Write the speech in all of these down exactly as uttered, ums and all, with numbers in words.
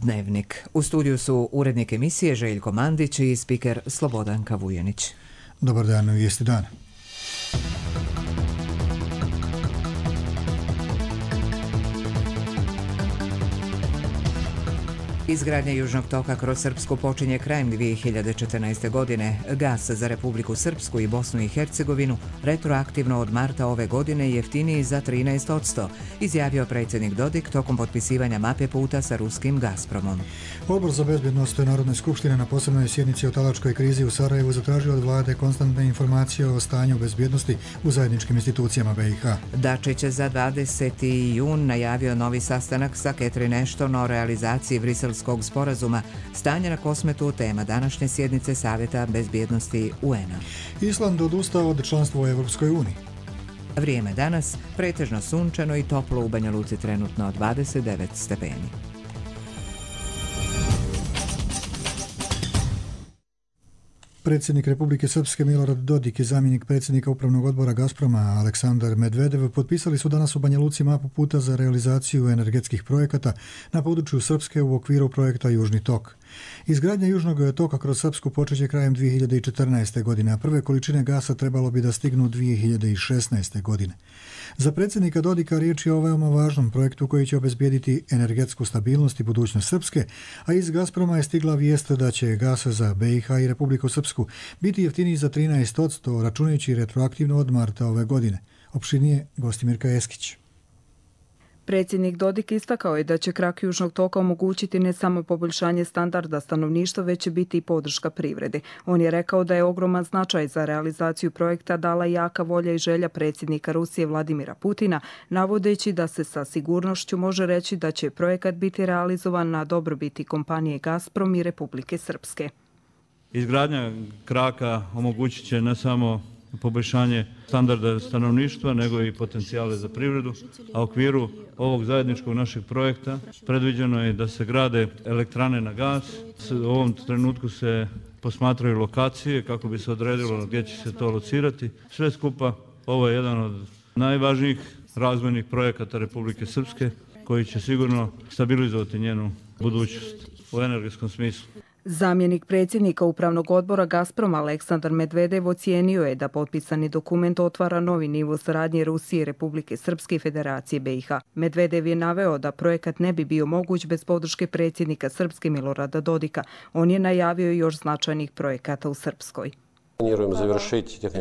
Dnevnik. U studiju su urednik emisije Željko Mandić i spiker Slobodanka Vujanić. Dobar dan, vijesti dana. Izgradnja Južnog toka kroz Srpsku počinje krajem dvije hiljade četrnaeste. godine. Gas za Republiku Srpsku i Bosnu i Hercegovinu retroaktivno od marta ove godine jeftiniji za trinaest posto, izjavio predsjednik Dodik tokom potpisivanja mape puta sa ruskim Gazpromom. Odbor za bezbjednost Narodne skupštine na posebnoj sjednici o talačkoj krizi u Sarajevu zatražio od vlade konstantne informacije o stanju bezbjednosti u zajedničkim institucijama B i H. Dačić za dvadeseti jun najavio novi sastanak sa Catherine Ashton o realizaciji Briselskog sporazuma. Stanje na Kosmetu tema današnje sjednice Savjeta bezbjednosti U N-a. Island odustao od članstva u Evropskoj uniji. Vrijeme danas pretežno sunčano i toplo, u Banja Luci trenutno dvadeset devet stepeni. Predsjednik Republike Srpske Milorad Dodik i zamjenik predsjednika upravnog odbora Gazproma Aleksandar Medvedev potpisali su danas u Banja Luci mapu puta za realizaciju energetskih projekata na području Srpske u okviru projekta Južni tok. Izgradnja Južnog toka kroz Srpsku počeće krajem dvije hiljade četrnaeste. godine, a prve količine gasa trebalo bi da stignu dvije hiljade šesnaeste. godine. Za predsjednika Dodika riječ je o veoma važnom projektu koji će obezbijediti energetsku stabilnost i budućnost Srpske, a iz Gazproma je stigla vijest da će gas za B i H i Republiku Srpsku biti jeftiniji za trinaest posto, računajući retroaktivno od marta ove godine. Opširnije Gostimirka Eskić. Predsjednik Dodik istakao je da će krak Južnog toka omogućiti ne samo poboljšanje standarda stanovništva, već će biti i podrška privredi. On je rekao da je ogroman značaj za realizaciju projekta dala jaka volja i želja predsjednika Rusije Vladimira Putina, navodeći da se sa sigurnošću može reći da će projekat biti realizovan na dobrobiti kompanije Gazprom i Republike Srpske. Izgradnja kraka omogućit će ne samo poboljšanje standarda stanovništva, nego i potencijale za privredu, a u okviru ovog zajedničkog našeg projekta predviđeno je da se grade elektrane na gas. U ovom trenutku se posmatraju lokacije kako bi se odredilo gdje će se to locirati. Sve skupa ovo je jedan od najvažnijih razvojnih projekata Republike Srpske koji će sigurno stabilizovati njenu budućnost u energetskom smislu. Zamjenik predsjednika upravnog odbora Gazproma Aleksandar Medvedev ocijenio je da potpisani dokument otvara novi nivo saradnje Rusije, Republike Srpske i Federacije B i H. Medvedev je naveo da projekat ne bi bio moguć bez podrške predsjednika Srpske Milorada Dodika. On je najavio još značajnih projekata u Srpskoj.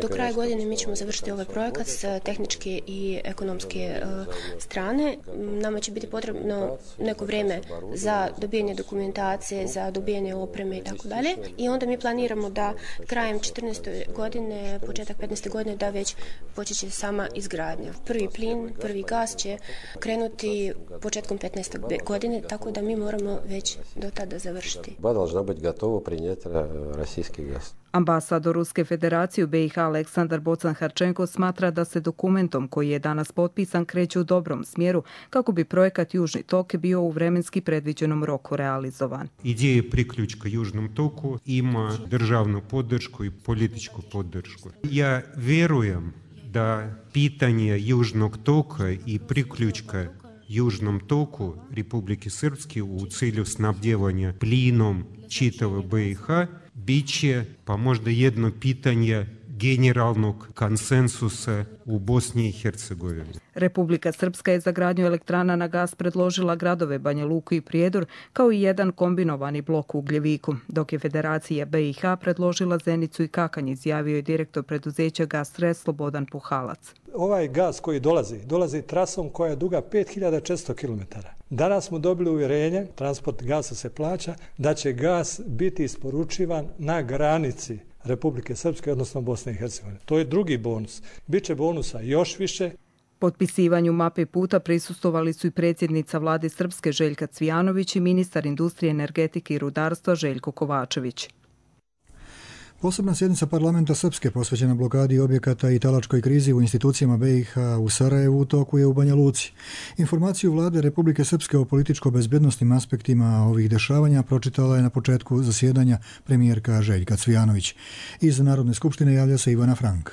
Do kraja godine mi ćemo završiti ovaj projekat s tehničke i ekonomske uh, strane. Nama će biti potrebno neko vrijeme za dobijanje dokumentacije, za dobijanje opreme i tako dalje. I onda mi planiramo da krajem četrnaeste. godine, početak petnaeste. godine da već počeće sama izgradnja. Prvi plin, prvi gas će krenuti početkom petnaeste. godine, tako da mi moramo već do tada završiti. Должна быть готова принять российский газ. Ambasador Ruske federacije u B i H Aleksandar Bocan-Harčenko smatra da se dokumentom koji je danas potpisan kreće u dobrom smjeru kako bi projekat Južni tok bio u vremenski predviđenom roku realizovan. Ideja priključka Južnom toku ima državnu podršku i političku podršku. Ja vjerujem da pitanje Južnog toka i priključka Južnom toku Republike Srpske u cilju snabdjevanja plinom čitave B i H biće pa možda jedno pitanje generalnog konsensusa u Bosni i Hercegovini. Republika Srpska je za gradnju elektrana na gas predložila gradove Banja Luku i Prijedor kao i jedan kombinovani blok u Ugljeviku, dok je Federacija B i H predložila Zenicu i Kakanj, izjavio je direktor preduzeća Gastres Slobodan Puhalac. Ovaj gas koji dolazi, dolazi trasom koja je duga pet hiljada četiristo kilometara. Danas smo dobili uvjerenje, transport gasa se plaća, da će gas biti isporučivan na granici Republike Srpske, odnosno Bosne i Hercegovine. To je drugi bonus. Biće bonusa još više. Potpisivanju mape puta prisustvovali su i predsjednica vlade Srpske Željka Cvijanović i ministar industrije, energetike i rudarstva Željko Kovačević. Posebna sjednica parlamenta Srpske posvećena blokadi objekata i talačkoj krizi u institucijama B i H u Sarajevu u toku je u Banja Luci. Informaciju vlade Republike Srpske o političko-bezbednosnim aspektima ovih dešavanja pročitala je na početku zasjedanja premijerka Željka Cvijanović. Iz Narodne skupštine javlja se Ivana Frank.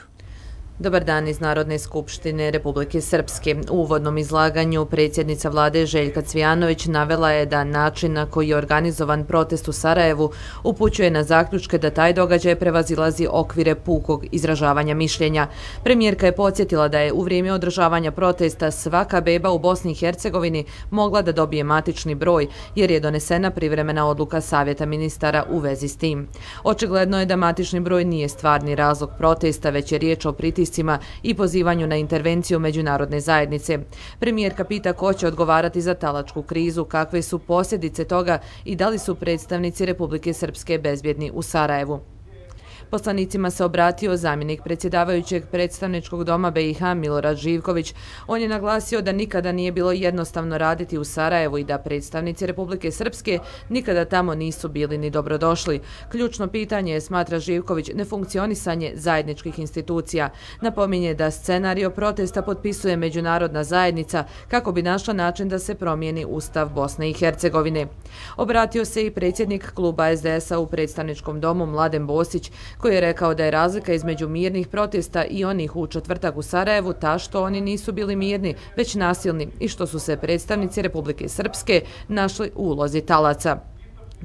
Dobar dan iz Narodne skupštine Republike Srpske. U uvodnom izlaganju predsjednica vlade Željka Cvijanović navela je da način na koji je organizovan protest u Sarajevu upućuje na zaključke da taj događaj prevazilazi okvire pukog izražavanja mišljenja. Premijerka je podsjetila da je u vrijeme održavanja protesta svaka beba u Bosni i Hercegovini mogla da dobije matični broj jer je donesena privremena odluka Savjeta ministara u vezi s tim. Očigledno je da matični broj nije stvarni razlog protesta, već je riječ o pritiscima i pozivanju na intervenciju međunarodne zajednice. Premijerka pita ko će odgovarati za talačku krizu, kakve su posljedice toga i da li su predstavnici Republike Srpske bezbjedni u Sarajevu. Poslanicima se obratio zamjenik predsjedavajućeg predstavničkog doma B i H Milorad Živković. On je naglasio da nikada nije bilo jednostavno raditi u Sarajevu i da predstavnici Republike Srpske nikada tamo nisu bili ni dobrodošli. Ključno pitanje je, smatra Živković, nefunkcionisanje zajedničkih institucija. Napominje da scenario protesta potpisuje međunarodna zajednica kako bi našla način da se promijeni Ustav Bosne i Hercegovine. Obratio se i predsjednik kluba S D S-a u predstavničkom domu Mladen Bosić, koji je rekao da je razlika između mirnih protesta i onih u četvrtak u Sarajevu ta što oni nisu bili mirni, već nasilni i što su se predstavnici Republike Srpske našli u ulozi talaca.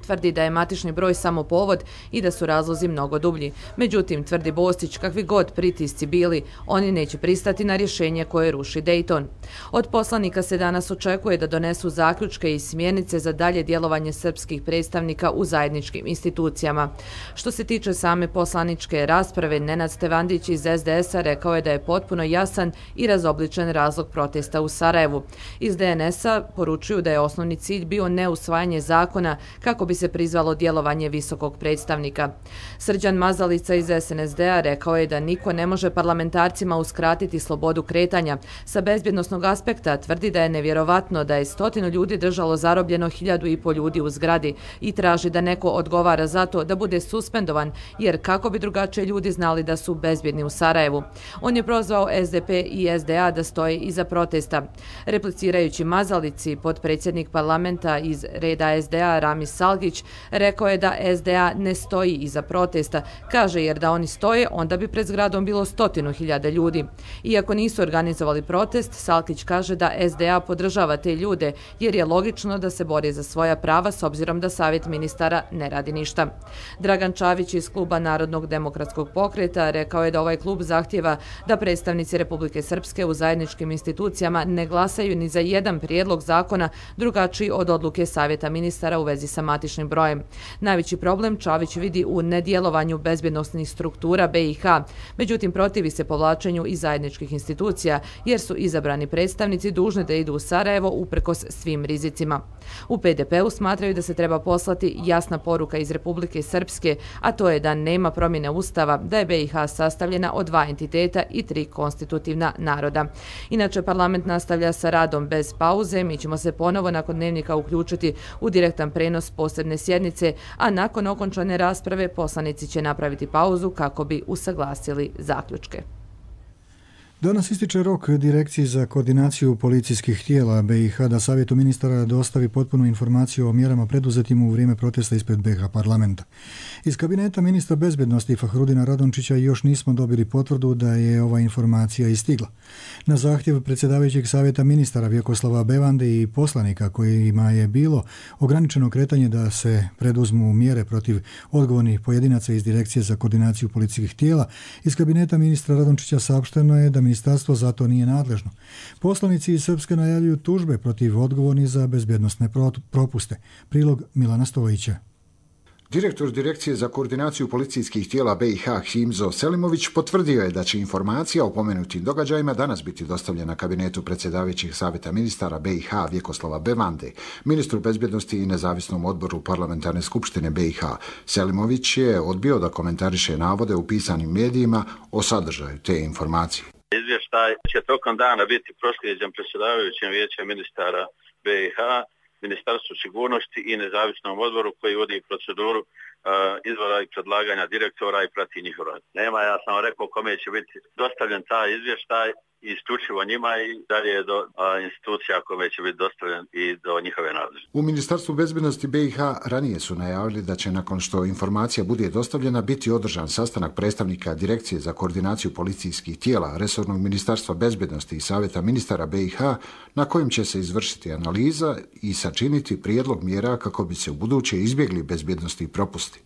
Tvrdi da je matični broj samo povod i da su razlozi mnogo dublji. Međutim, tvrdi Bostić, kakvi god pritisci bili, oni neće pristati na rješenje koje ruši Dejton. Od poslanika se danas očekuje da donesu zaključke i smjernice za dalje djelovanje srpskih predstavnika u zajedničkim institucijama. Što se tiče same poslaničke rasprave, Nenad Stevandić iz S D S-a rekao je da je potpuno jasan i razobličen razlog protesta u Sarajevu. Iz D N S-a poručuju da je osnovni cilj bio neusvajanje zakona kako bi se prizvalo djelovanje visokog predstavnika. Srđan Mazalica iz S N S D-a rekao je da niko ne može parlamentarcima uskratiti slobodu kretanja. Sa bezbjednosnog aspekta tvrdi da je nevjerovatno da je stotinu ljudi držalo zarobljeno hiljadu i pol ljudi u zgradi i traži da neko odgovara za to da bude suspendovan, jer kako bi drugačije ljudi znali da su bezbjedni u Sarajevu. On je prozvao S D P i S D A da stoje iza protesta. Replicirajući Mazalici, potpredsjednik parlamenta iz reda S D A Ramis Salgić rekao je da S D A ne stoji iza protesta. Kaže, jer da oni stoje, onda bi pred zgradom bilo stotinu hiljada ljudi. Iako nisu organizovali protest, Salkić kaže da S D A podržava te ljude, jer je logično da se bori za svoja prava s obzirom da Savjet ministara ne radi ništa. Dragan Čavić iz kluba Narodnog demokratskog pokreta rekao je da ovaj klub zahtjeva da predstavnici Republike Srpske u zajedničkim institucijama ne glasaju ni za jedan prijedlog zakona drugačiji od odluke Savjeta ministara u vezi sa matičnim brojem. Najveći problem Čavić vidi u nedjelovanju bezbjednosnih struktura B i H, međutim protivi se povlačenju iz zajedničkih institucija jer su izabrani predstavnici dužni da idu u Sarajevo uprkos svim rizicima. U P D P-u smatraju da se treba poslati jasna poruka iz Republike Srpske, a to je da nema promjene Ustava, da je B i H sastavljena od dva entiteta i tri konstitutivna naroda. Inače, parlament nastavlja sa radom bez pauze. Mi ćemo se ponovo nakon dnevnika uključiti u direktan prenos posebne sjednice, a nakon okončane rasprave poslanici će napraviti pauzu kako bi usaglasili zaključke. Danas ističe rok Direkciji za koordinaciju policijskih tijela B i H da Savjetu ministara dostavi potpunu informaciju o mjerama preduzetim u vrijeme protesta ispred B i H parlamenta. Iz kabineta ministra bezbjednosti Fahrudina Radončića još nismo dobili potvrdu da je ova informacija istigla. Na zahtjev predsjedavajućeg Savjeta ministara Vjekoslava Bevande i poslanika kojima je bilo ograničeno kretanje da se preduzmu mjere protiv odgovornih pojedinaca iz Direkcije za koordinaciju policijskih tijela, iz kabineta ministra Radončića saopšteno je da ministarstvo za to nije nadležno. Poslanici iz Srpske najavljuju tužbe protiv odgovornih za bezbjednosne propuste. Prilog Milana Stojića. Direktor Direkcije za koordinaciju policijskih tijela B i H Himzo Selimović potvrdio je da će informacija o pomenutim događajima danas biti dostavljena kabinetu predsjedavajućeg Savjeta ministara B i H Vjekoslava Bevande, ministru bezbjednosti i nezavisnom odboru parlamentarne skupštine B i H. Selimović je odbio da komentariše navode u pisanim medijima o sadržaju te informacije. Izvještaj će tokom dana biti proslijeđen predsjedavajućem vijeća ministara B i H, Ministarstvu sigurnosti i nezavisnom odboru koji vodi proceduru uh, izbora i predlaganja direktora i prati njihov rad. Nema, ja sam rekao kome će biti dostavljen taj izvještaj isključivo njima i dalje do a, institucija kome će biti dostavljen i do njihove nadležnosti. U Ministarstvu bezbednosti B i H ranije su najavili da će nakon što informacija bude dostavljena biti održan sastanak predstavnika Direkcije za koordinaciju policijskih tijela resornog Ministarstva bezbednosti i Savjeta ministara B i H na kojem će se izvršiti analiza i sačiniti prijedlog mjera kako bi se u buduće izbjegli bezbednosti i propusti.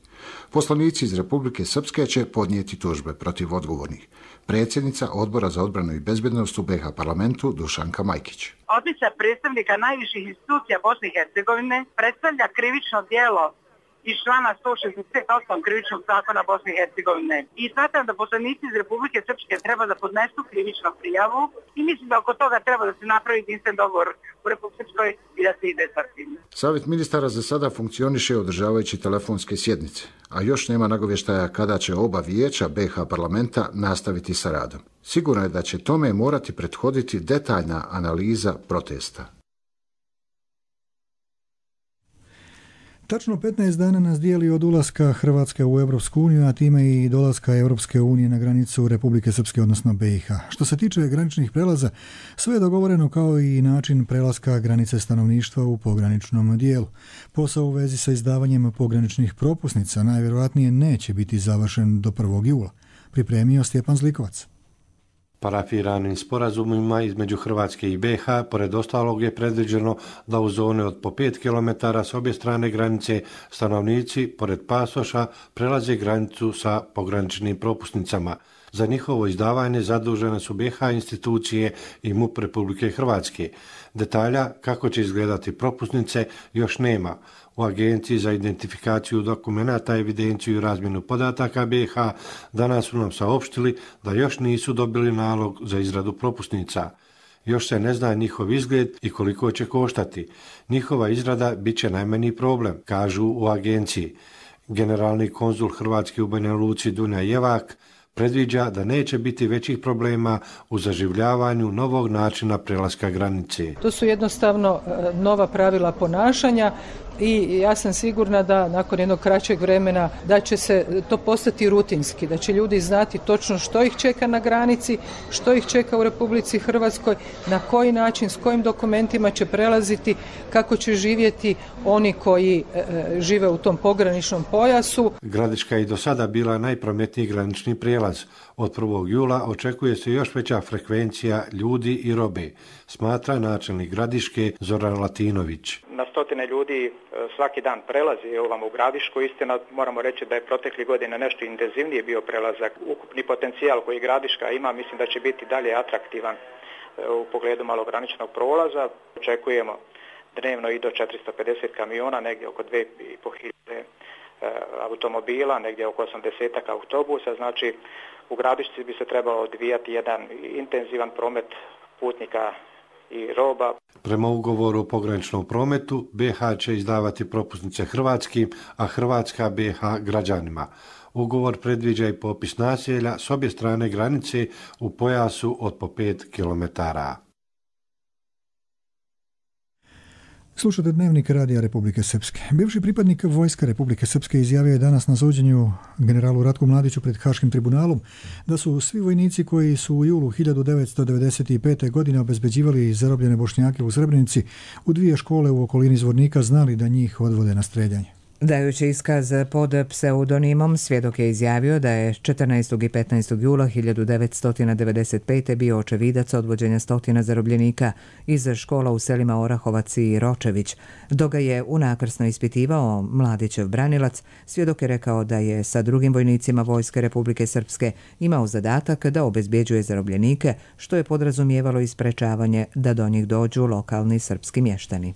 Poslanici iz Republike Srpske će podnijeti tužbe protiv odgovornih. Predsjednica Odbora za odbranu i bezbednost u B i H parlamentu Dušanka Majkić. Odličja predstavnika najviših institucija Bosne i Hercegovine predstavlja krivično djelo iz člana sto šezdeset osam krivičnog zakona Bosne i Hercegovine. I smatram da poslanici iz Republike Srpske treba da podnesu krivičnu prijavu i mislim da oko toga treba da se napravi jedinstven dogovor u Republike Srpskoj i da se ide sa tim. Savjet ministara za sada funkcioniše održavajući telefonske sjednice, a još nema nagovještaja kada će oba vijeća B i H parlamenta nastaviti sa radom. Sigurno je da će tome morati prethoditi detaljna analiza protesta. Tačno petnaest dana nas dijeli od ulaska Hrvatske u Europsku uniju, a time i dolaska Europske unije na granicu Republike Srpske, odnosno B i H. Što se tiče graničnih prelaza, sve je dogovoreno kao i način prelaska granice stanovništva u pograničnom dijelu. Posao u vezi sa izdavanjem pograničnih propusnica najvjerojatnije neće biti završen do prvog jula. Pripremio Stjepan Zlikovac. Parafiranim sporazumima između Hrvatske i B i H, pored ostalog je predviđeno da u zone od po pet kilometara s obje strane granice stanovnici, pored pasoša, prelaze granicu sa pograničnim propusnicama. Za njihovo izdavanje zadužene su B i H institucije i MUP Republike Hrvatske. Detalja kako će izgledati propusnice još nema. U Agenciji za identifikaciju dokumenata, evidenciju i razmjenu podataka B i H danas su nam saopštili da još nisu dobili nalog za izradu propusnica. Još se ne zna njihov izgled i koliko će koštati. Njihova izrada bit će najmanji problem, kažu u agenciji. Generalni konzul Hrvatske u Banja Luci Dunja Jevak predviđa da neće biti većih problema u zaživljavanju novog načina prelaska granice. To su jednostavno nova pravila ponašanja i ja sam sigurna da nakon jednog kraćeg vremena da će se to postati rutinski, da će ljudi znati točno što ih čeka na granici, što ih čeka u Republici Hrvatskoj, na koji način, s kojim dokumentima će prelaziti, kako će živjeti oni koji e, žive u tom pograničnom pojasu. Gradiška je i do sada bila najprometniji granični prijelaz. Od prvog jula očekuje se još veća frekvencija ljudi i robe, smatra načelnik Gradiške Zoran Latinović. Na stotine ljudi svaki dan prelazi ovamo u Gradišku. Istina, moramo reći da je protekli godine nešto intenzivnije bio prelazak. Ukupni potencijal koji Gradiška ima, mislim da će biti dalje atraktivan u pogledu malograničnog prolaza. Očekujemo dnevno i do četiristo pedeset kamiona, negdje oko dvije i pol hiljade automobila, negdje oko osamdeset autobusa. Znači, u Gradišci bi se trebao odvijati jedan intenzivan promet putnika i roba. Prema ugovoru o pograničnom prometu, B i H će izdavati propusnice hrvatskim, a Hrvatska B i H građanima. Ugovor predviđa i popis naselja s obje strane granice u pojasu od po pet kilometara. Slušate Dnevnik Radija Republike Srpske. Bivši pripadnik vojska Republike Srpske izjavio je danas na suđenju generalu Ratku Mladiću pred Haškim tribunalom da su svi vojnici koji su u julu hiljadu devetsto devedeset pete. godine obezbeđivali zarobljene Bošnjake u Srebrenici u dvije škole u okolini Zvornika znali da njih odvode na streljanje. Dajući iskaz pod pseudonimom, svjedok je izjavio da je četrnaestog i petnaestog jula hiljadu devetsto devedeset pete. bio očevidac odvođenja stotina zarobljenika iz škola u selima Orahovac i Ročević. Dok ga je unakrsno ispitivao Mladićev branilac, svjedok je rekao da je sa drugim vojnicima Vojske Republike Srpske imao zadatak da obezbjeđuje zarobljenike, što je podrazumijevalo i sprečavanje da do njih dođu lokalni srpski mještani.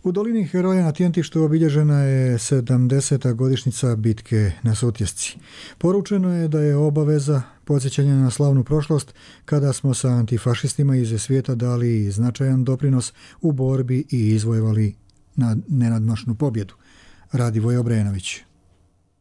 U dolini Heroja na Tjentištu obilježena je sedamdeseta godišnjica bitke na Sutjesci. Poručeno je da je obaveza podsjećanja na slavnu prošlost kada smo sa antifašistima iz svijeta dali značajan doprinos u borbi i izvojevali na nenadmašnu pobjedu. Radivoje Obrenović.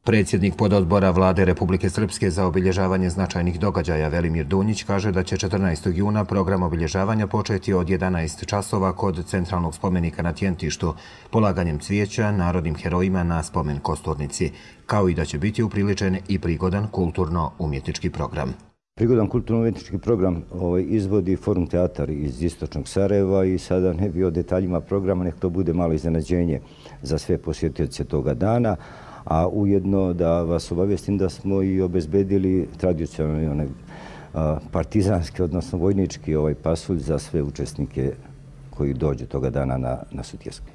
Predsjednik pododbora Vlade Republike Srpske za obilježavanje značajnih događaja Velimir Dunjić kaže da će četrnaestog juna program obilježavanja početi od jedanaest časova kod centralnog spomenika na Tjentištu, polaganjem cvijeća narodnim herojima na spomen kosturnici, kao i da će biti upriličen i prigodan kulturno-umjetnički program. Prigodan kulturno-umjetnički program ovaj, izvodi Forum teatar iz istočnog Sarajeva i sada ne bi o detaljima programa, nek to bude malo iznenađenje za sve posjetioce toga dana, a ujedno da vas obavijestim da smo i obezbedili tradicionalni onaj partizanski, odnosno vojnički ovaj pasulj za sve učesnike koji dođu toga dana na, na Sutjesku.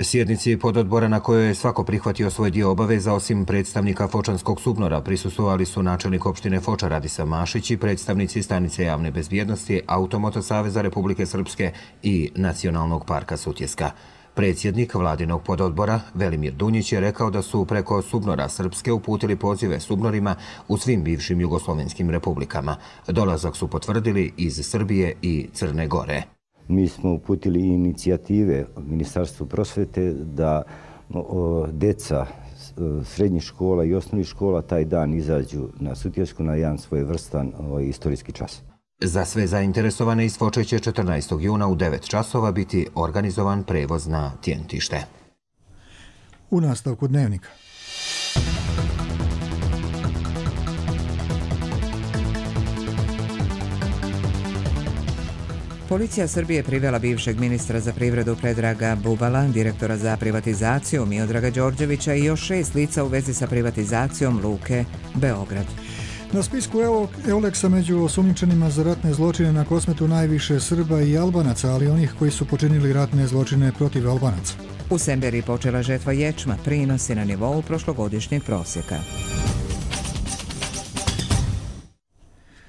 Sjednici pododbora na kojoj je svako prihvatio svoj dio obaveza, osim predstavnika Fočanskog SUBNOR-a, prisustvovali su načelnik opštine Foča Radisa Mašić i predstavnici stanice javne bezbjednosti, Automoto saveza Republike Srpske i Nacionalnog parka Sutjeska. Predsjednik vladinog pododbora Velimir Dunjić je rekao da su preko SUBNOR-a Srpske uputili pozive SUBNOR-ima u svim bivšim jugoslovenskim republikama. Dolazak su potvrdili iz Srbije i Crne Gore. Mi smo uputili inicijative Ministarstvu prosvete da o, deca srednjih škola i osnovnih škola taj dan izađu na Sutjesku na jedan svojevrstan o, istorijski čas. Za sve zainteresovane iz Foče će četrnaestog juna u devet časova biti organizovan prevoz na Tjentište. U nastavku dnevnika. Policija Srbije privela bivšeg ministra za privredu Predraga Bubala, direktora za privatizaciju Miodraga Đorđevića i još šest lica u vezi sa privatizacijom Luke Beograd. Na spisku Euleksa među osumnjičenima za ratne zločine na Kosmetu najviše Srba i Albanaca, ali onih koji su počinili ratne zločine protiv Albanaca. U Semberiji počela žetva ječma, prinosi na nivou prošlogodišnjeg prosjeka.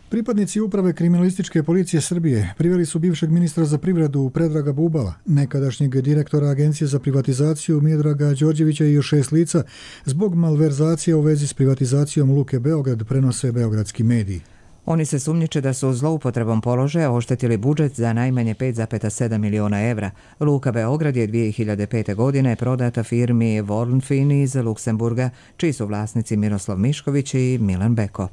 Pripadnici uprave kriminalističke policije Srbije priveli su bivšeg ministra za privredu Predraga Bubala, nekadašnjeg direktora Agencije za privatizaciju Miodraga Đorđevića i još šest lica zbog malverzacije u vezi s privatizacijom Luke Beograd, prenose beogradski mediji. Oni se sumnjiče da su zloupotrebom položaja oštetili budžet za najmanje pet zarez sedam miliona evra. Luka Beograd je dvije hiljade pete. godine prodata firmi Vornfin iz Luksemburga, čiji su vlasnici Miroslav Mišković i Milan Beko.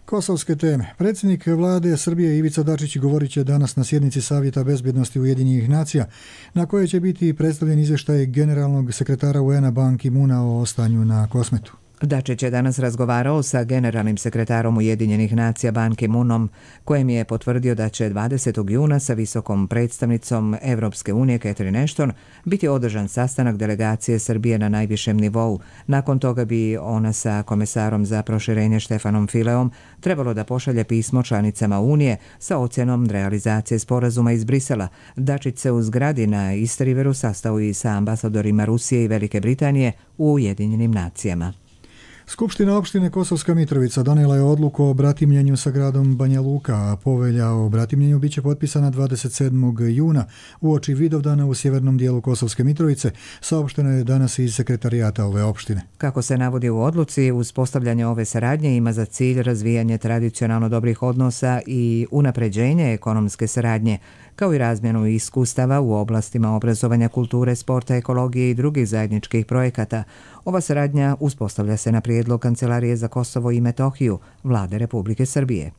Kosovske teme. Predsjednik vlade Srbije Ivica Dačić govorit će danas na sjednici Savjeta bezbjednosti Ujedinjenih nacija, na kojoj će biti predstavljen izvještaj generalnog sekretara U N-a Ban Ki-moona o stanju na Kosmetu. Dačić je danas razgovarao sa generalnim sekretarom Ujedinjenih nacija Ban Ki-moonom, kojem je potvrdio da će dvadesetog juna sa visokom predstavnicom Evropske unije Catherine Ashton biti održan sastanak delegacije Srbije na najvišem nivou. Nakon toga bi ona sa komesarom za proširenje Štefanom Fileom trebalo da pošalje pismo članicama Unije sa ocjenom realizacije sporazuma iz Brisela. Dačić se u zgradi na Istriveru sastao i sa ambasadorima Rusije i Velike Britanije u Ujedinjenim nacijama. Skupština opštine Kosovska Mitrovica donijela je odluku o bratimljenju sa gradom Banja Luka, a povelja o bratimljenju biće potpisana dvadeset sedmog juna uoči Vidovdana u sjevernom dijelu Kosovske Mitrovice, saopšteno je danas iz sekretarijata ove opštine. Kako se navodi u odluci, uspostavljanje ove saradnje ima za cilj razvijanje tradicionalno dobrih odnosa i unapređenje ekonomske saradnje, kao i razmjenu iskustava u oblastima obrazovanja, kulture, sporta, ekologije i drugih zajedničkih projekata. Ova saradnja uspostavlja se na prijedlog Kancelarije za Kosovo i Metohiju Vlade Republike Srbije.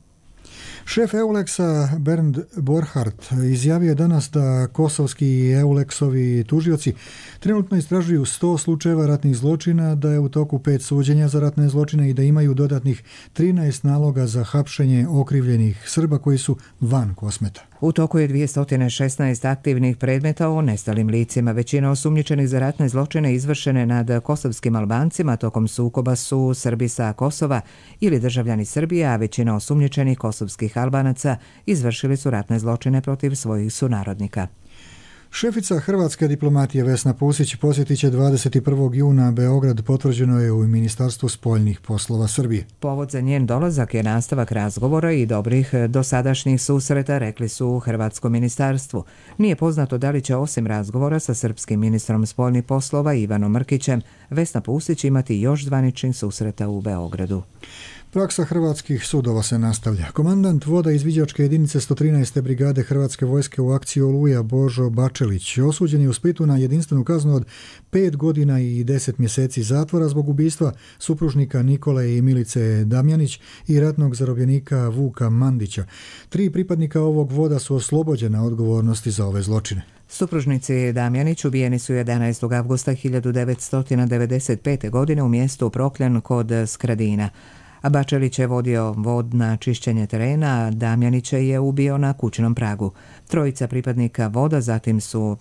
Šef Euleksa Bernd Borhardt izjavio je danas da kosovski i Euleksovi tužioci trenutno istražuju sto slučajeva ratnih zločina, da je u toku pet suđenja za ratne zločine i da imaju dodatnih trinaest naloga za hapšenje okrivljenih Srba koji su van Kosmeta. U toku je dvjesto šesnaest aktivnih predmeta o nestalim licima. Većina osumnjičenih za ratne zločine izvršene nad kosovskim Albancima tokom sukoba su Srbi sa Kosova ili državljani Srbije, a većina osumnjičenih kosovskih Albanaca izvršili su ratne zločine protiv svojih sunarodnika. Šefica hrvatske diplomatije Vesna Pusić posjetit će dvadeset prvog juna Beograd, potvrđeno je u Ministarstvu spoljnih poslova Srbije. Povod za njen dolazak je nastavak razgovora i dobrih dosadašnjih susreta, rekli su u Hrvatskom ministarstvu. Nije poznato da li će osim razgovora sa srpskim ministrom spoljnih poslova Ivanom Mrkićem Vesna Pusić imati još zvaničnih susreta u Beogradu. Praksa hrvatskih sudova se nastavlja. Komandant voda izviđačke jedinice sto trinaeste brigade Hrvatske vojske u akciji Oluja Božo Bačelić osuđen je u Splitu na jedinstvenu kaznu od pet godina i deset mjeseci zatvora zbog ubistva supružnika Nikole i Milice Damjanić i ratnog zarobljenika Vuka Mandića. Tri pripadnika ovog voda su oslobođena odgovornosti za ove zločine. Supružnici Damjanić ubijeni su jedanaestog avgusta hiljadu devetsto devedeset pete. godine u mjestu Prokljan kod Skradina. A Bačelić je vodio vod na čišćenje terena, a Damjanića je ubio na kućnom pragu. Trojica pripadnika voda zatim su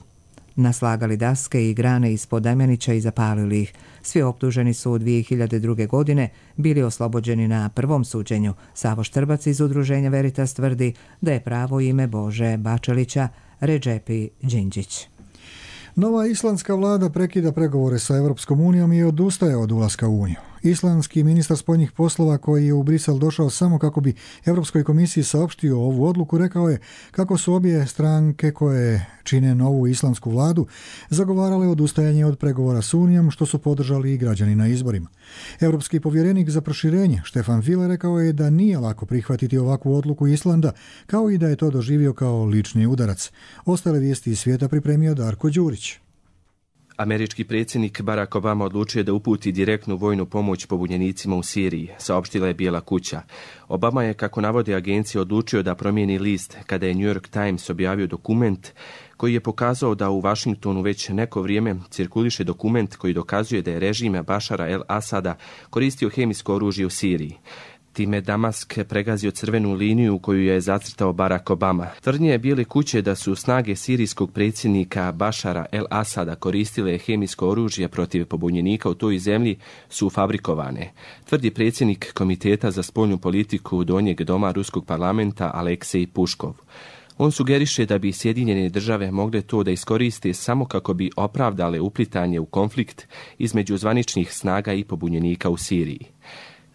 naslagali daske i grane ispod Damjanića i zapalili ih. Svi optuženi su u dvije hiljade druge. godine bili oslobođeni na prvom suđenju. Savo Štrbac iz udruženja Veritas tvrdi da je pravo ime Bože Bačelića Redžepi Đinđić. Nova islandska vlada prekida pregovore sa Europskom unijom i odustaje od ulaska u Uniju. Islandski ministar spoljnih poslova koji je u Brisel došao samo kako bi Europskoj komisiji saopštio ovu odluku rekao je kako su obje stranke koje čine novu islandsku vladu zagovarale odustajanje od pregovora s Unijom, što su podržali i građani na izborima. Europski povjerenik za proširenje Štefan Füle rekao je da nije lako prihvatiti ovakvu odluku Islanda, kao i da je to doživio kao lični udarac. Ostale vijesti iz svijeta pripremio Darko Đurić. Američki predsjednik Barack Obama odlučio da uputi direktnu vojnu pomoć pobunjenicima u Siriji, saopštila je Bijela kuća. Obama je, kako navode agencije, odlučio da promijeni list kada je New York Times objavio dokument koji je pokazao da u Washingtonu već neko vrijeme cirkuliše dokument koji dokazuje da je režim Bašara el-Asada koristio hemijsko oružje u Siriji. Time Damask pregazio crvenu liniju koju je zacrtao Barack Obama. Tvrdnje je Bijele kuće da su snage sirijskog predsjednika Bašara el-Asada koristile hemijsko oružje protiv pobunjenika u toj zemlji su fabrikovane, tvrdi predsjednik Komiteta za spoljnu politiku Donjeg doma Ruskog parlamenta Aleksej Puškov. On sugeriše da bi Sjedinjene države mogle to da iskoriste samo kako bi opravdale uplitanje u konflikt između zvaničnih snaga i pobunjenika u Siriji.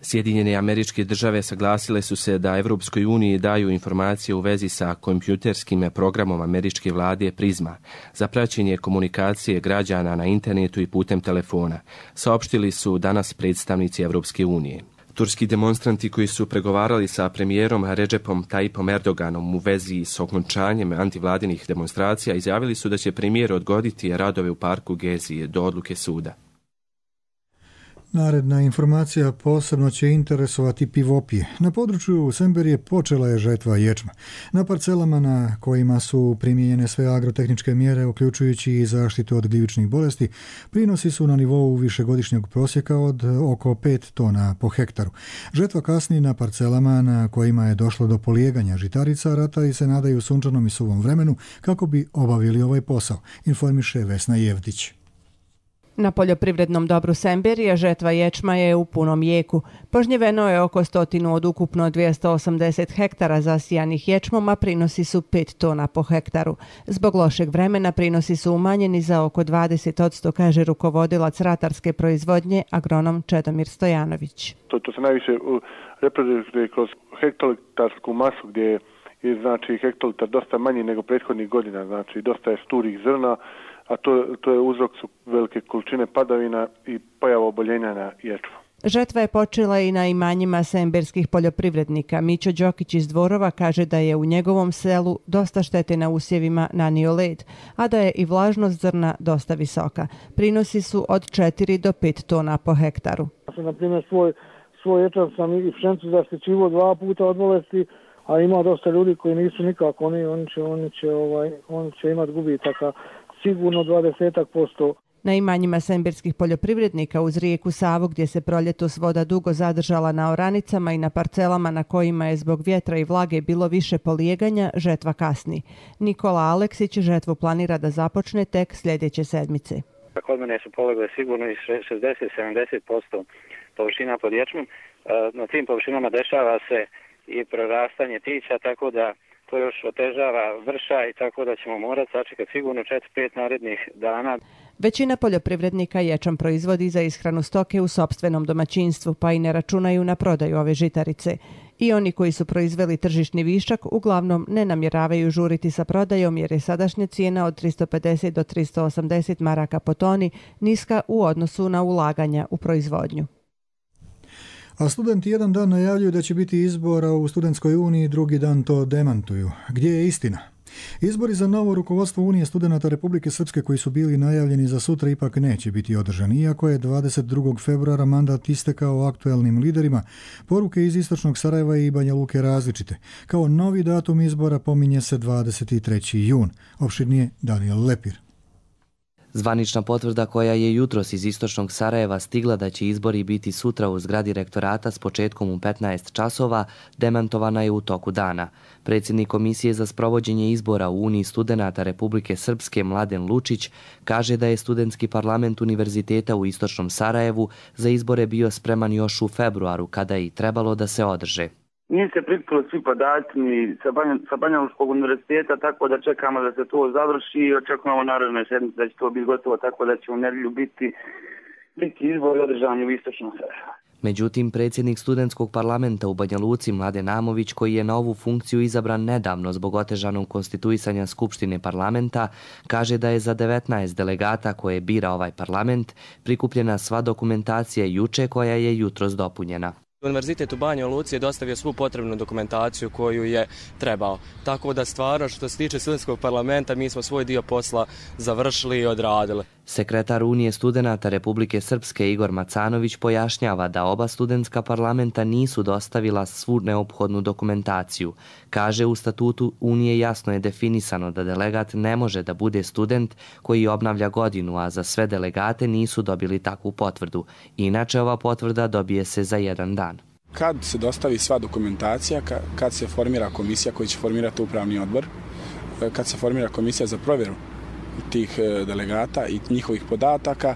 Sjedinjene Američke Države saglasile su se da Evropskoj uniji daju informacije u vezi sa kompjuterskim programom američke vlade Prizma za praćenje komunikacije građana na internetu i putem telefona, saopštili su danas predstavnici Evropske unije. Turski demonstranti koji su pregovarali sa premijerom Redžepom Tayyipom Erdoganom u vezi s okončanjem antivladinih demonstracija izjavili su da će premijer odgoditi radove u parku Gezi do odluke suda. Naredna informacija posebno će interesovati pivopije. Na području Semberije počela je žetva ječma. Na parcelama na kojima su primijenjene sve agrotehničke mjere, uključujući i zaštitu od gljivičnih bolesti, prinosi su na nivou višegodišnjeg prosjeka od oko pet tona po hektaru. Žetva kasni na parcelama na kojima je došlo do polijeganja žitarica, ratari se nadaju sunčanom i suvom vremenu kako bi obavili ovaj posao, informiše Vesna Jevdić. Na poljoprivrednom dobru Semberije žetva ječma je u punom jeku. Požnjeveno je oko stotinu od ukupno dvjesto osamdeset hektara zasijanih ječmom, a prinosi su pet tona po hektaru. Zbog lošeg vremena prinosi su umanjeni za oko dvadeset posto, kaže rukovodilac ratarske proizvodnje agronom Čedomir Stojanović. To, to se najviše reprezentuje kroz hektolitarsku masu gdje je znači hektolitar dosta manji nego prethodnih godina, znači dosta je sturih zrna, a to, to je uzrok su velike količine padavina i pojava oboljenja na ječmu. Žetva je počela i na imanjima semberskih poljoprivrednika. Mićo Đokić iz Dvorova kaže da je u njegovom selu dosta štete na usjevima nanio led, a da je i vlažnost zrna dosta visoka. Prinosi su od četiri do pet tona po hektaru. Na primjer, svoj, svoj ječam sam i pšenicu zaštićivo dva puta od bolesti, a ima dosta ljudi koji nisu nikako, oni, oni će, oni će, ovaj, oni će imati gubitaka sigurno dvadeset posto. Na imanjima semberskih poljoprivrednika uz rijeku Savu, gdje se proljetos voda dugo zadržala na oranicama i na parcelama na kojima je zbog vjetra i vlage bilo više polijeganja, žetva kasni. Nikola Aleksić žetvu planira da započne tek sljedeće sedmice. Kod mene su polegle sigurno i šezdeset do sedamdeset posto površina pod ječmom. Na tim površinama dešava se i prorastanje tića, tako da to još otežava vrša i tako da ćemo morati sačekati sigurno četiri pet narednih dana. Većina poljoprivrednika ječam proizvodi za ishranu stoke u sopstvenom domaćinstvu, pa i ne računaju na prodaju ove žitarice. I oni koji su proizveli tržišni višak uglavnom ne namjeravaju žuriti sa prodajom jer je sadašnja cijena od tristo pedeset do tristo osamdeset maraka po toni niska u odnosu na ulaganja u proizvodnju. A studenti jedan dan najavljuju da će biti izbora u Studentskoj uniji, drugi dan to demantuju. Gdje je istina? Izbori za novo rukovodstvo Unije studenata Republike Srpske koji su bili najavljeni za sutra ipak neće biti održani. Iako je dvadeset drugog februara mandat istekao aktuelnim liderima, poruke iz istočnog Sarajeva i Banja Luke različite. Kao novi datum izbora pominje se dvadeset treći jun. Opširnije Daniel Lepir. Zvanična potvrda koja je jutros iz istočnog Sarajeva stigla da će izbori biti sutra u zgradi rektorata s početkom u petnaest časova, demantovana je u toku dana. Predsjednik Komisije za sprovođenje izbora u Uniji studenata Republike Srpske Mladen Lučić kaže da je studentski parlament Univerziteta u istočnom Sarajevu za izbore bio spreman još u februaru, kada je i trebalo da se održe. Nije se prikupilo svi podaci ni sa, Banja, sa Banjalučkog univerziteta, tako da čekamo da se to završi i očekujemo naredne sedmice da će to biti gotovo, tako da će u nedjelju biti, biti izbori održani u istočnom Sarajevu. Međutim, predsjednik studentskog parlamenta u Banja Luci Mladen Amović, koji je na ovu funkciju izabran nedavno zbog otežanog konstituisanja Skupštine parlamenta, kaže da je za devetnaest delegata koje bira ovaj parlament prikupljena sva dokumentacija juče, koja je jutros dopunjena. Univerzitet u Banja Luci je dostavio svu potrebnu dokumentaciju koju je trebao. Tako da stvarno što se tiče studentskog parlamenta mi smo svoj dio posla završili i odradili. Sekretar Unije studenata Republike Srpske Igor Macanović pojašnjava da oba studentska parlamenta nisu dostavila svu neophodnu dokumentaciju. Kaže, u statutu Unije jasno je definisano da delegat ne može da bude student koji obnavlja godinu, a za sve delegate nisu dobili takvu potvrdu. Inače, ova potvrda dobije se za jedan dan. Kad se dostavi sva dokumentacija, kad se formira komisija koji će formirati upravni odbor, kad se formira komisija za provjeru tih delegata i njihovih podataka,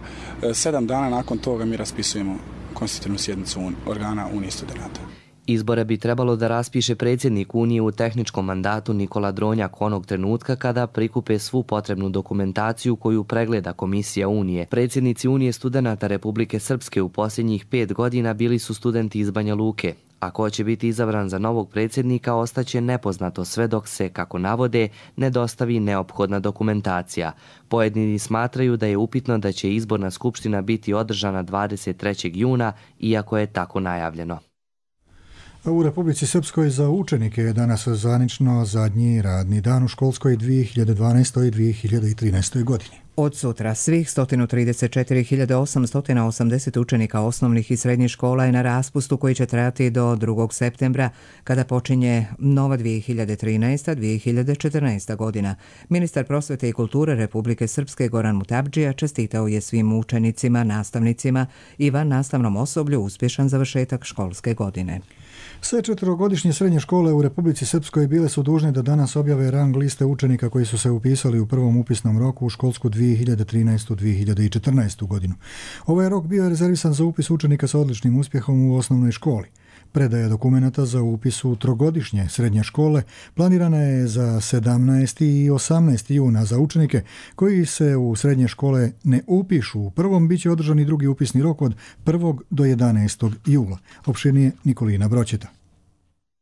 sedam dana nakon toga mi raspisujemo konstitutivnu sjednicu organa Unije studenata. Izbore bi trebalo da raspiše predsjednik Unije u tehničkom mandatu Nikola Dronjak onog trenutka kada prikupe svu potrebnu dokumentaciju koju pregleda Komisija Unije. Predsjednici Unije studenata Republike Srpske u posljednjih pet godina bili su studenti iz Banja Luke. A ko će biti izabran za novog predsjednika ostaće nepoznato sve dok se, kako navode, ne dostavi neophodna dokumentacija. Pojedini smatraju da je upitno da će izborna skupština biti održana dvadeset trećeg juna, iako je tako najavljeno. U Republici Srpskoj za učenike je danas zvanično zadnji radni dan u školskoj dvije hiljade dvanaestoj i dvije hiljade trinaestoj godini. Od sutra svih sto trideset četiri hiljade osamsto osamdeset učenika osnovnih i srednjih škola je na raspustu koji će trajati do drugog septembra, kada počinje nova dvije hiljade trinaesta dvije hiljade četrnaesta godina. Ministar prosvete i kulture Republike Srpske Goran Mutabdžija čestitao je svim učenicima, nastavnicima i van nastavnom osoblju uspješan završetak školske godine. Sve četverogodišnje srednje škole u Republici Srpskoj bile su dužne da danas objave rang liste učenika koji su se upisali u prvom upisnom roku u školsku dvije hiljade trinaestu dvije hiljade četrnaestu godinu. Ovaj rok bio je rezervisan za upis učenika sa odličnim uspjehom u osnovnoj školi. Predaja dokumenata za upis u trogodišnje srednje škole planirana je za sedamnaesti i osamnaesti juna za učenike koji se u srednje škole ne upišu. U prvom bit će održani drugi upisni rok od prvog do jedanaestog jula. Opširnije Nikolina Broćeta.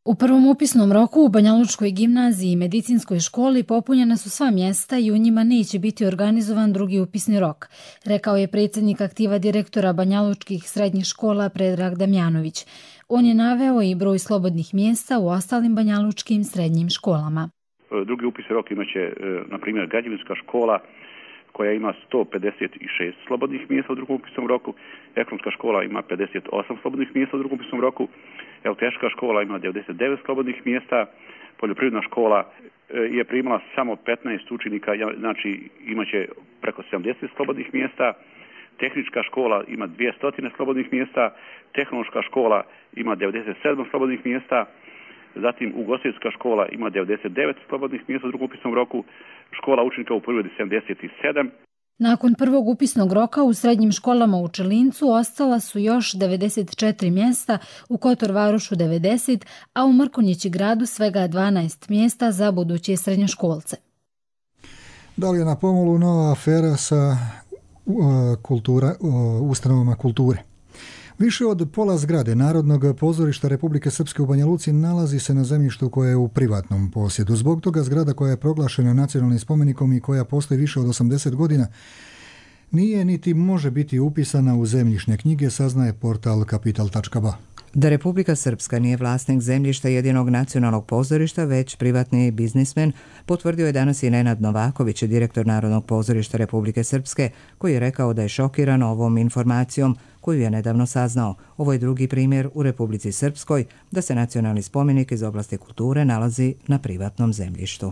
U prvom upisnom roku u Banjalučkoj gimnaziji i medicinskoj školi popunjena su sva mjesta i u njima neće biti organizovan drugi upisni rok, rekao je predsjednik aktiva direktora Banjalučkih srednjih škola Predrag Damjanović. On je naveo i broj slobodnih mjesta u ostalim banjalučkim srednjim školama. Drugi upisni rok imaće, na primjer, građevinska škola koja ima sto pedeset šest slobodnih mjesta u drugom upisnom roku, ekonomska škola ima pedeset osam slobodnih mjesta u drugom upisnom roku, električka škola ima devedeset devet slobodnih mjesta, poljoprivredna škola je primala samo petnaest učenika, znači imaće preko sedamdeset slobodnih mjesta, tehnička škola ima dvjesto slobodnih mjesta, tehnološka škola ima devedeset sedam slobodnih mjesta, zatim ugostiteljska škola ima devedeset devet slobodnih mjesta u drugom upisnom roku, škola učenika u poljoprivredi sedamdeset sedam. Nakon prvog upisnog roka u srednjim školama u Čelincu ostala su još devedeset četiri mjesta, u Kotor Varošu devedeset, a u Mrkonjići gradu svega dvanaest mjesta za buduće srednjoškolce. Da li je na pomolu nova afera sa uh, kultura, uh, ustanovama kulture? Više od pola zgrade Narodnog pozorišta Republike Srpske u Banja Luci nalazi se na zemljištu koje je u privatnom posjedu. Zbog toga zgrada koja je proglašena nacionalnim spomenikom i koja postoji više od osamdeset godina nije niti može biti upisana u zemljišne knjige, saznaje portal kapital tačka ba. Da Republika Srpska nije vlasnik zemljišta jedinog nacionalnog pozorišta, već privatni biznismen, potvrdio je danas i Nenad Novaković, direktor Narodnog pozorišta Republike Srpske, koji je rekao da je šokiran ovom informacijom koju je nedavno saznao. Ovo je drugi primjer u Republici Srpskoj da se nacionalni spomenik iz oblasti kulture nalazi na privatnom zemljištu.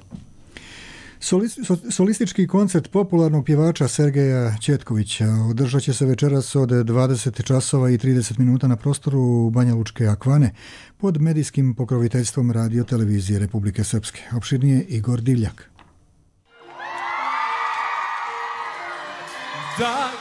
Solistički koncert popularnog pjevača Sergeja Četkovića održat će se večeras od dvadeset časova i trideset minuta na prostoru Banja Lučke Akvane pod medijskim pokroviteljstvom Radio televizije Republike Srpske. Opširnije Igor Divljak. Da.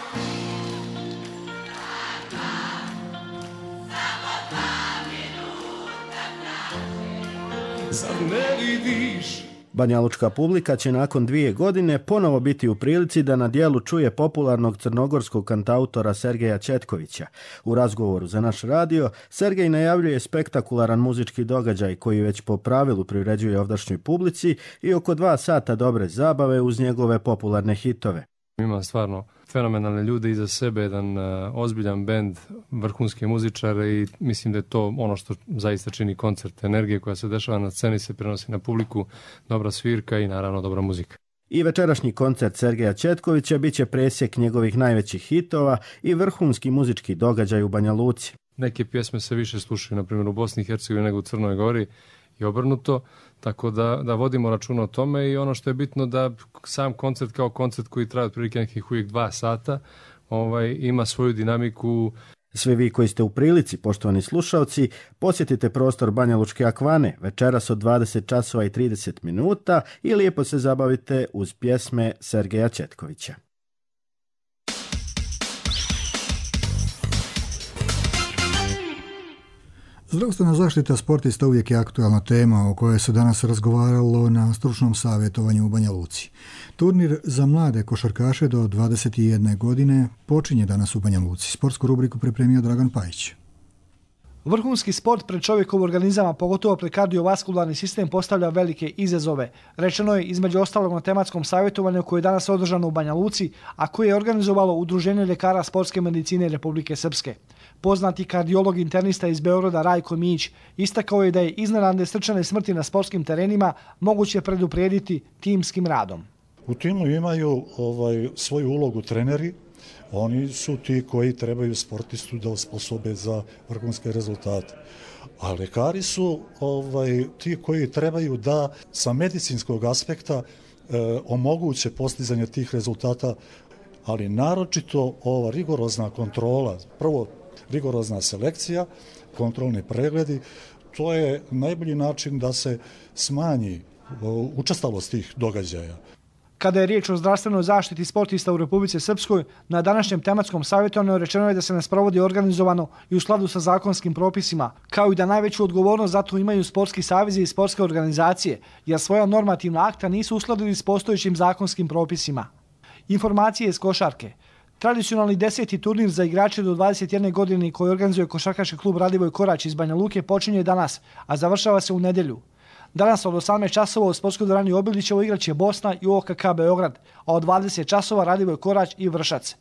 Banjalučka publika će nakon dvije godine ponovo biti u prilici da na dijelu čuje popularnog crnogorskog kantautora Sergeja Četkovića. U razgovoru za naš radio, Sergej najavljuje spektakularan muzički događaj koji već po pravilu priređuje ovdašnjoj publici i oko dva sata dobre zabave uz njegove popularne hitove. Ima stvarno fenomenalne ljude iza sebe, jedan uh, ozbiljan bend, vrhunske muzičare i mislim da je to ono što zaista čini koncert. Energije koja se dešava na sceni se prenosi na publiku, dobra svirka i naravno dobra muzika. I večerašnji koncert Sergeja Četkovića bit će presjek njegovih najvećih hitova i vrhunski muzički događaj u Banja Luci. Neke pjesme se više slušaju, na primjer u Bosni i Hercegovini nego u Crnoj Gori i obrnuto, tako da, da vodimo računa o tome i ono što je bitno da sam koncert kao koncert koji traje otprilike nekih uvijek dva sata ovaj, ima svoju dinamiku. Svi vi koji ste u prilici, poštovani slušalci, posjetite prostor Banja Lučke Akvane večeras od dvadeset časova i trideset minuta i lijepo se zabavite uz pjesme Sergeja Četkovića. Zdravstvena zaštita sportista uvijek je aktualna tema o kojoj se danas razgovaralo na stručnom savjetovanju u Banja Luci. Turnir za mlade košarkaše do dvadeset jedne godine počinje danas u Banja Luci. Sportsku rubriku pripremio Dragan Pajić. Vrhunski sport pred čovjekov organizama, pogotovo pred kardiovaskularni sistem, postavlja velike izazove. Rečeno je između ostalog na tematskom savjetovanju koje je danas održano u Banja Luci, a koje je organizovalo Udruženje ljekara sportske medicine Republike Srpske. Poznati kardiolog internista iz Beograda Rajko Mić istakao je da je iznenadne srčane smrti na sportskim terenima moguće preduprijediti timskim radom. U timu imaju ovaj, svoju ulogu treneri. Oni su ti koji trebaju sportistu da osposobe za vrhunske rezultate. A lekari su ovaj, ti koji trebaju da sa medicinskog aspekta e, omoguće postizanje tih rezultata, ali naročito ova rigorozna kontrola, prvo rigorozna selekcija, kontrolni pregledi, to je najbolji način da se smanji učestalost tih događaja. Kada je riječ o zdravstvenoj zaštiti sportista u Republici Srpskoj, na današnjem tematskom savjetovanju rečeno je da se ne sprovodi organizovano i u skladu sa zakonskim propisima, kao i da najveću odgovornost za to imaju sportski savezi i sportske organizacije, jer svoja normativna akta nisu uskladili s postojećim zakonskim propisima. Informacije iz košarke. Tradicionalni deseti turnir za igrače do dvadeset jedne godine koji organizuje košarkaški klub Radivoj Korać iz Banja Luke počinje danas, a završava se u nedjelju. Danas od osamnaest časova u sportskoj dvorani Obilićevo igraće Bosna i O K K Beograd, a od dvadeset časova Radivoj Korać i Vršac.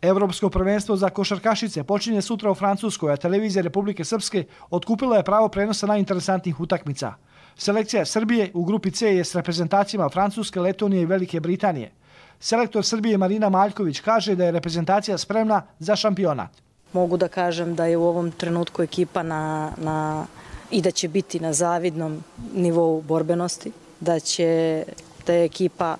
Evropsko prvenstvo za košarkašice počinje sutra u Francuskoj, a televizija Republike Srpske otkupila je pravo prenosa najinteresantnijih utakmica. Selekcija Srbije u grupi C je s reprezentacijama Francuske, Letonije i Velike Britanije. Selektor Srbije Marina Maljković kaže da je reprezentacija spremna za šampionat. Mogu da kažem da je u ovom trenutku ekipa na, na, i da će biti na zavidnom nivou borbenosti, da će da je ekipa,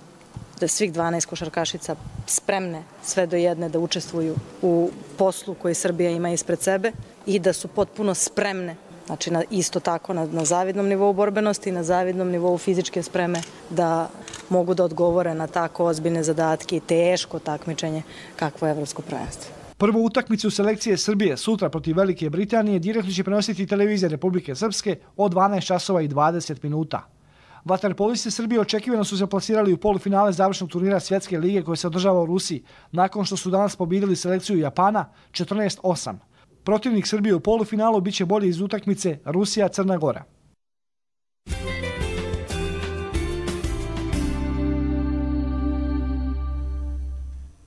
da svih dvanaest košarkašica spremne sve do jedne da učestvuju u poslu koji Srbija ima ispred sebe i da su potpuno spremne, znači na, isto tako na, na zavidnom nivou borbenosti i na zavidnom nivou fizičke spreme da mogu da odgovore na tako ozbiljne zadatke i teško takmičenje kakvo je evropsko prvenstvo. Prvu utakmicu selekcije Srbije sutra protiv Velike Britanije direktno će prenositi televizija Republike Srpske od dvanaest časova i dvadeset minuta. Vaterpolisti Srbije očekivano su se plasirali u polufinale završnog turnira Svjetske lige koje se održava u Rusiji, nakon što su danas pobjedili selekciju Japana četrnaest osam. Protivnik Srbije u polufinalu biće bolji iz utakmice Rusija-Crna Gora.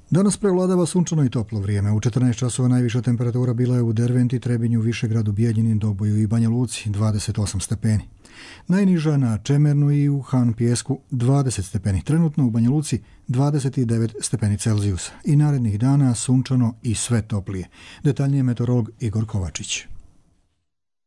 Danas prevladava sunčano i toplo vrijeme. U četrnaest časova najviša temperatura bila je u Derventi, Trebinju, Višegradu, Bijeljini, Doboju i Banja Luci, dvadeset osam stepeni. Najniža na Čemernu i u Han Pijesku, dvadeset stepeni. Trenutno u Banja Luci, dvadeset devet stepeni Celzijusa. I narednih dana sunčano i sve toplije. Detaljnije meteorolog Igor Kovačić.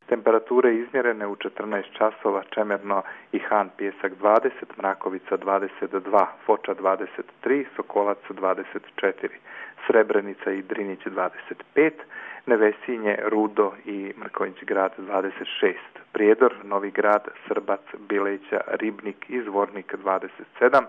Temperatura Temperature izmjerene u četrnaest časova Čemerno i Han Pijesak dvadeset, Mrakovica dvadeset dva, Foča dvadeset tri, Sokolac dvadeset četiri, Srebrenica i Drinić dvadeset pet, Nevesinje, Rudo i Mrkonjić grad dvadeset šest, Prijedor, Novi grad, Srbac, Bileća, Ribnik i Zvornik dvadeset sedam,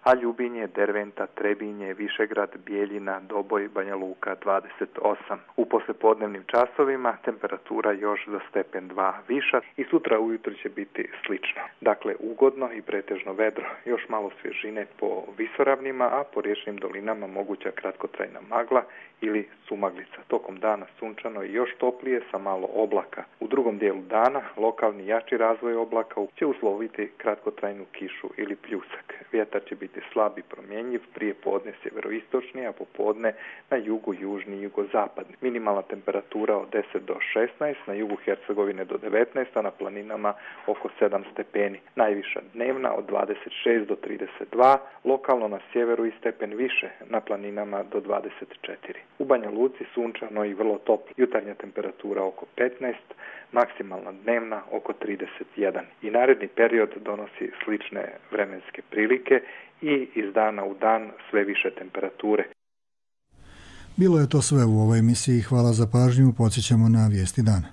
a Ljubinje, Derventa, Trebinje, Višegrad, Bijeljina, Doboj, Banja Luka dvadeset osam. U poslepodnevnim časovima temperatura još za stepen dva viša i sutra ujutro će biti slično. Dakle, ugodno i pretežno vedro, još malo svježine po visoravnima, a po riječnim dolinama moguća kratkotrajna magla ili sumaglica. Tokom dana sunčano i još toplije sa malo oblaka. U drugom dijelu dana lokalni jači razvoj oblaka će usloviti kratkotrajnu kišu ili pljusak. Vjetar će biti slab i promjenjiv, prije podne sjeveroistočni, a popodne na jugu južni i jugozapadni. Minimalna temperatura od deset do šesnaest, na jugu Hercegovine do devetnaest, a na planinama oko sedam stepeni. Najviša dnevna od dvadeset šest do trideset dva, lokalno na sjeveru i stepen više, na planinama do dvadeset četiri. U Banja Luci sunčano i vrlo toplo. Jutarnja temperatura oko petnaest, maksimalna dnevna oko trideset jedan. I naredni period donosi slične vremenske prilike i iz dana u dan sve više temperature. Bilo je to sve u ovoj emisiji. Hvala za pažnju. Podsjećamo na vijesti dana.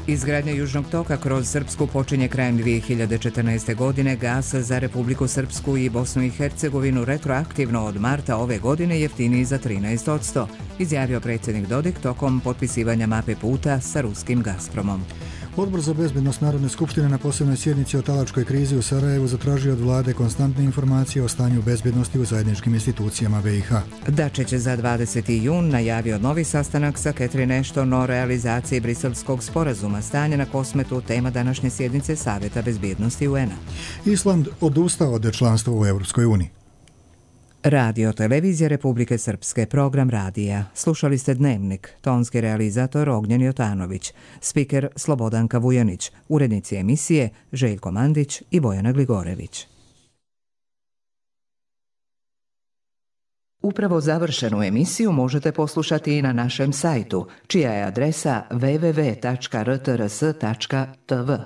Izgradnja Južnog toka kroz Srpsku počinje krajem dvije hiljade četrnaeste. godine. Gas za Republiku Srpsku i Bosnu i Hercegovinu retroaktivno od marta ove godine jeftiniji za trinaest posto, izjavio predsjednik Dodik tokom potpisivanja mape puta sa ruskim Gazpromom. Odbor za bezbednost Narodne skupštine na posebnoj sjednici o talačkoj krizi u Sarajevu zatražio od vlade konstantne informacije o stanju bezbednosti u zajedničkim institucijama B i H. Dačić za dvadeseti jun najavio novi sastanak sa Catherine Ashton o realizaciji briselskog sporazuma. Stanje na Kosmetu, tema današnje sjednice Savjeta bezbjednosti U N-a. Island odustao od članstva u Europskoj uniji. Radio Televizija Republike Srpske, program radija. Slušali ste Dnevnik, tonski realizator Ognjen Jotanović, spiker Slobodanka Vujanić, urednici emisije Željko Mandić i Bojana Gligorević. Upravo završenu emisiju možete poslušati i na našem sajtu, čija je adresa w w w tačka r t r s tačka t v.